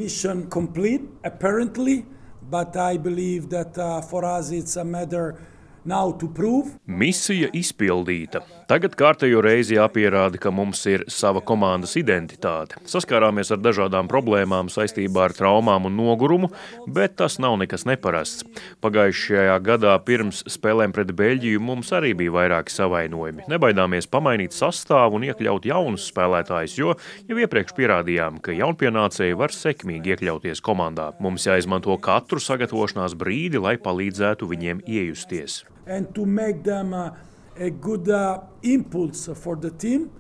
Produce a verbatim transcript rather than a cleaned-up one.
Mission complete, apparently, but I believe that uh, for us it's a matter now to prove. Misija izpildīta. Tagad kārtējo reizi jāpierāda, ka mums ir sava komandas identitāte. Saskārāmies ar dažādām problēmām saistībā ar traumām un nogurumu, bet tas nav nekas neparasts. Pagājušajā gadā pirms spēlēm pret Beļģiju mums arī bija vairāki savainojumi. Nebaidāmies pamainīt sastāvu un iekļaut jaunus spēlētājus, jo jau iepriekš pierādījām, ka jaunpienācēji var sekmīgi iekļauties komandā. Mums jāizmanto katru sagatavošanās brīdi, lai palīdzētu viņiem iejusties. And to make them uh, a good uh, impulse for the team.